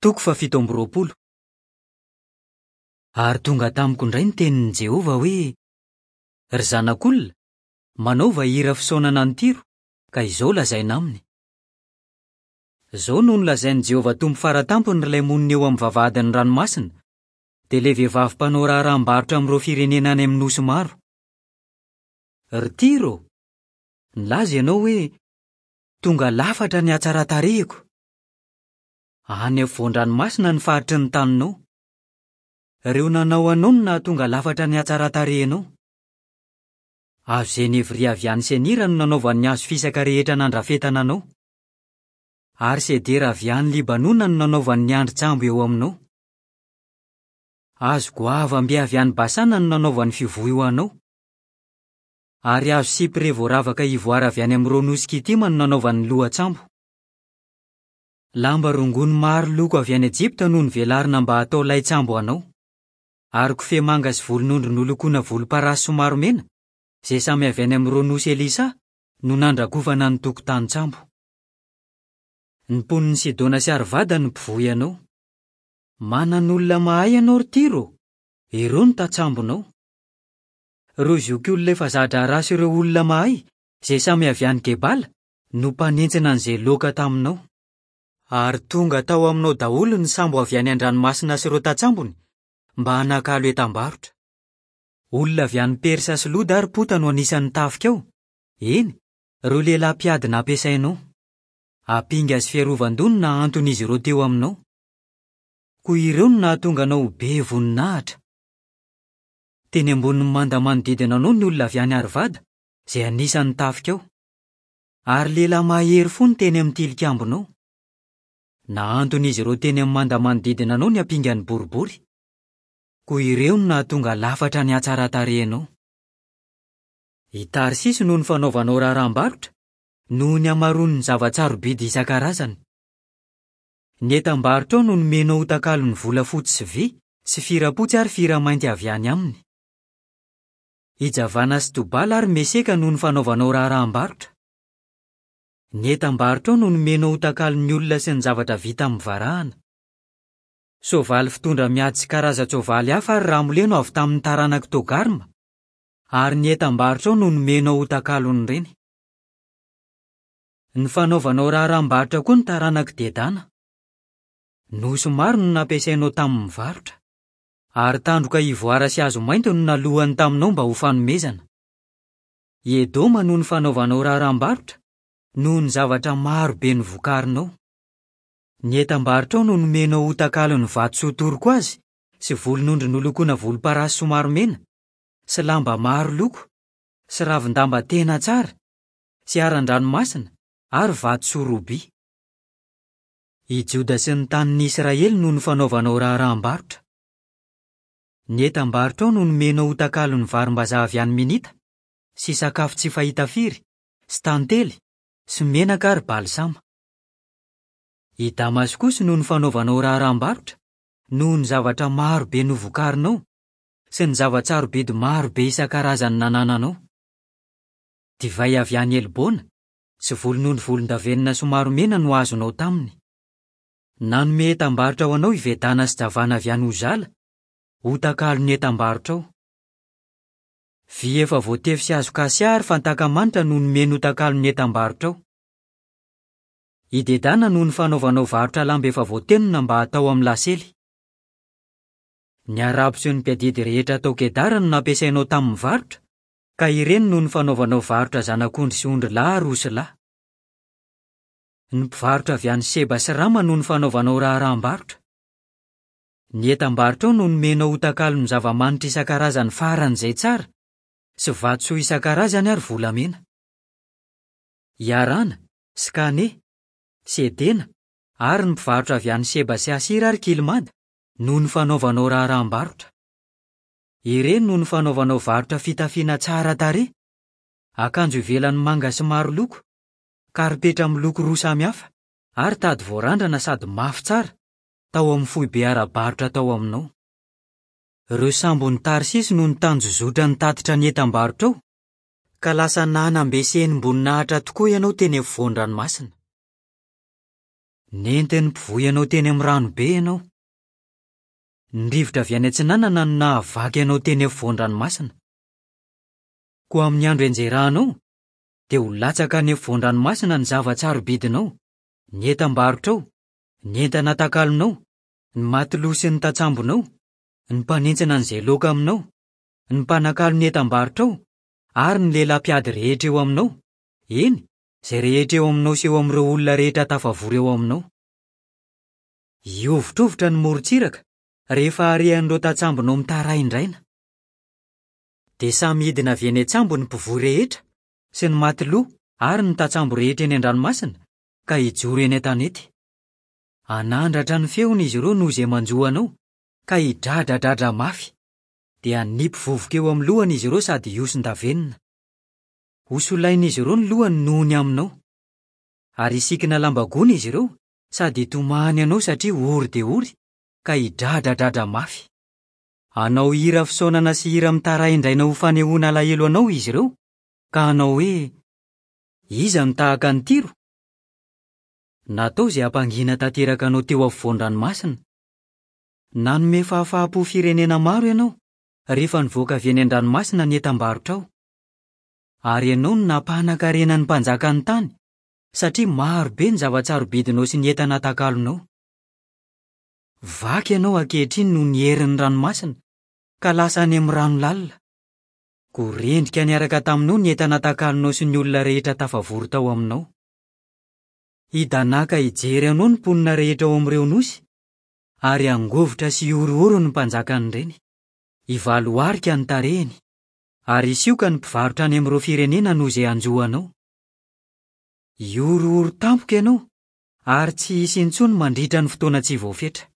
Toko faha 27. Ary tonga tamiko indray ny tenin'i Jehovah hoe, Ry zanak'olona, manaova hira fisaonana an'i Tyro, ka izao lazaina aminy, Izao no nolazain'i Jehovah Tompo Fara Tampony ry ilay monina eo amin'ny vavahadin'ny ranomasina, dia ilay vehivavy mpanao raharaham-barotra amin'ireo firenena any amin'ny nosy maro. Ry Tyro, nilaza ianao hoe, 'Tonga lafatra ny hatsaran-tarehiko. Any afovoan-dranomasina ny faritry ny taninao. Ireo nanao anao no nahatonga lafatra ny hatsaran-tarehinao. Hazo zenevrie avy any Senira no nanaovany ny hazo fisaka rehetra nandrafetana anao. Ary sedera avy any Libanona no nanaovany ny andrin-tsambo eo aminao. Hazo goavam-be avy any Basana no nanaovany fivoy ho anao. Ary hazo sipre voaravaka ivoara avy any amin'ireo nosy Kitima no nanaovany ny lohan-tsambo. Lamba rongony maro loko avy any Ejipta no novelarina mba hatao lain-tsambo anao. Ary kofehy manga sy volon'ondry nolokoina volomparasy somary mena, izay samy avy any amin'ireo nosy Elisa, no nandrakofana ny tokotanin-tsambo. Ny mponin'i Sidona sy Arvada no mpivoy anao. Manan'olona mahay ianao ry Tyro, ireo no tantsambonao. Ireo zokiolona efa za-draharaha sy ireo olona mahay, izay samy avy any Gebala, no mpanentsina an'izay loaka taminao. Ary tonga tao aminao daholo ny sambo avy any an-dranomasina sy ireo tantsambony, mba hanakalo entam-barotra. Olona avy any Persa sy Loda ary Pota no anisan'ny tafikao, eny, ireo lehilahy mpiady nampiasainao. Ampinga sy fiarovan-doha no nahanton'izy ireo teo aminao. Koa ireo no nahatonga anao ho be voninahitra. Teny ambonin'ny manda manodidina anao ny olona avy any Arvada, izay anisan'ny tafikao. Ary lehilahy mahery fo no teny amin'ny tilikambonao. Nahanton'izy ireo teny amin'ny manda manodidina anao ny ampingany boribory. Koa ireo no nahatonga lafatra ny hatsaran-tarehinao. I Tarsisy no nifanaovanao raharaham-barotra, noho ny hamaroan'ny zava-tsarobidy isan-karazany. Ny entam-barotrao no nomenao ho takalon'ny volafotsy sy vy sy fira-potsy ary fira-mainty avy any aminy. I Javana sy Tobala ary Meseka no nifanaovanao raharaham-barotra. Ny entam-barotrao no nomenao ho takalon'ny olona sy ny zavatra vita amin'ny varahana. Soavaly fitondra miady sy karazan-tsoavaly hafa ary ramole no avy tamin'ny taranak'i Togarma, ary ny entam-barotrao no nomenao ho takalon'ireny. Ny fanaovanao raharaham-barotra koa ny taranak'i Dedana. Nosy maro no nampiasainao tamin'ny varotra. Ary tandroka ivoara sy hazo mainty no nalohany taminao mba ho fanomezana. I Edoma no nifanaovanao raharaham-barotra, noho ny zavatra maro be novokarinao. Ny entam-barotrao no nomenao ho takalon'ny vatosoa torkoazy sy volon'ondry nolokoina volomparasy somary mena, sy lamba maro loko, sy ravin-damba tena tsara, sy haran-dranomasina ary vatosoa robia. I Joda sy ny tanin'i Israely no nifanaovanao raharaham-barotra. Ny entam-barotrao no nomenao ho takalon'ny varimbazaha avy any Minita, sy sakafo tsy fahita firy, sy tantely, sy menaka ary balsama. I Damaskosy no nifanaovanao raharaham-barotra, noho ny zavatra maro be novokarinao, sy ny zava-tsarobidy maro be isan-karazany nanananao. Divay avy any Helbona sy volon'ondry volondavenona somary mena no azonao taminy. Nanome entam-barotra ho anao i Vedana sy Javana avy any Ozala, ho takalon'ny entam-barotrao. Vy efa voatefy sy hazo kasia ary fantàka manitra no nomeny ho takalon'ny entam-barotrao. I Dedana no nifanaovanao varotra lamba efa voatenona mba hatao amin'ny lasely. Ny Arabo sy ny mpiadidy rehetra tao Kedara no nampiasainao tamin'ny varotra, ka ireny no nifanaovanao varotra zanak'ondry sy ondrilahy ary osilahy. Ny mpivarotra avy any Seba sy Rama no nifanaovanao raharaham-barotra. Ny entam-barotrao no nomenao ho takalon'ny zava-manitra isan-karazany faran'izay tsara, sy vatosoa isan-karazany ary volamena. I Harana, sy Kane, sy Edena, ary ny mpivarotra avy any Seba sy Asira ary Kilmada no nifanaovanao raharaham-barotra. Ireny no nifanaovanao varotra fitafiana tsara tarehy, akanjo ivelany manga sy maro loko, karipetra miloko roa samy hafa, ary tady voarandrana sady mafy tsara, tao amin'ny foibe ara-barotra tao aminao. Ireo sambon'i Tarsisy no nitanjozotra nitatitra ny entam-barotrao, ka lasa nanam-be sy henim-boninahitra tokoa ianao teny afovoan-dranomasina. Nentin'ny mpivoy anao teny amin'ny rano be ianao. Ny rivotra avy any atsinanana no nahavaky anao teny afovoan-dranomasina. Koa amin'ny andro ianjerahanao, dia ho latsaka any afovoan-dranomasina ny zava-tsarobidinao, ny entam-barotrao, ny entana atakalonao, ny matiloha sy ny tantsambonao, ny mpanentsina an'izay loaka aminao, ny mpanakalo ny entam-barotrao, ary ny lehilahy mpiady rehetra eo aminao, eny, izay rehetra eo aminao sy eo amin'ireo olona rehetra tafavory eo aminao. Hihovitrovitra ny morontsiraka rehefa harian'ireo tantsambonao mitaraindraina. Dia samy hidina avy eny an-tsambo ny mpivoy rehetra sy ny matiloha ary ny tantsambo rehetra eny an-dranomasina ka hijoro eny an-tanety. Hanandratra ny feony izy ireo noho izay manjo anao ka hidradradradra mafy. Dia hanipy vovoka eo amin'ny lohany izy ireo sady hihoson-davenona. Hosolain'izy ireo ny lohany noho ny aminao. Ary hisikina lamba gony izy ireo sady hitomany anao satria ory dia ory ka hidradradradra mafy. Hanao hira fisaonana sy hira mitaraindraina ho fanehoana alahelo anao izy ireo, ka hanao hoe, Iza no tahaka an'i Tyro? Natao izay hampangina tanteraka anao teo afovoan-dranomasina. Nanome fahafaham-po firenena maro ianao, rehefa nivoaka avy eny an-dranomasina ny entam-barotrao. Ary ianao no nampanan-karena ny mpanjakan'ny tany, satria maro be ny zava-tsarobidinao sy ny entana atakalonao. Vaky ianao ankehitriny noho ny herin'ny ranomasina, ka lasa any amin'ny rano lalina. Koa rendrika niaraka taminao ny entana atakalonao sy ny olona rehetra tafavory tao aminao. Hidanàka hijery anao ny mponina rehetra ao amin'ireo nosy, ary hangovitra sy hihorohoro ny mpanjakan'ireny. Hivaloarika ny tarehiny, ary hisioka ny mpivarotra any amin'ireo firenena noho izay hanjo anao. Hihorohoro tampoka ianao ary tsy hisy intsony mandritra ny fotoana tsy voafetra.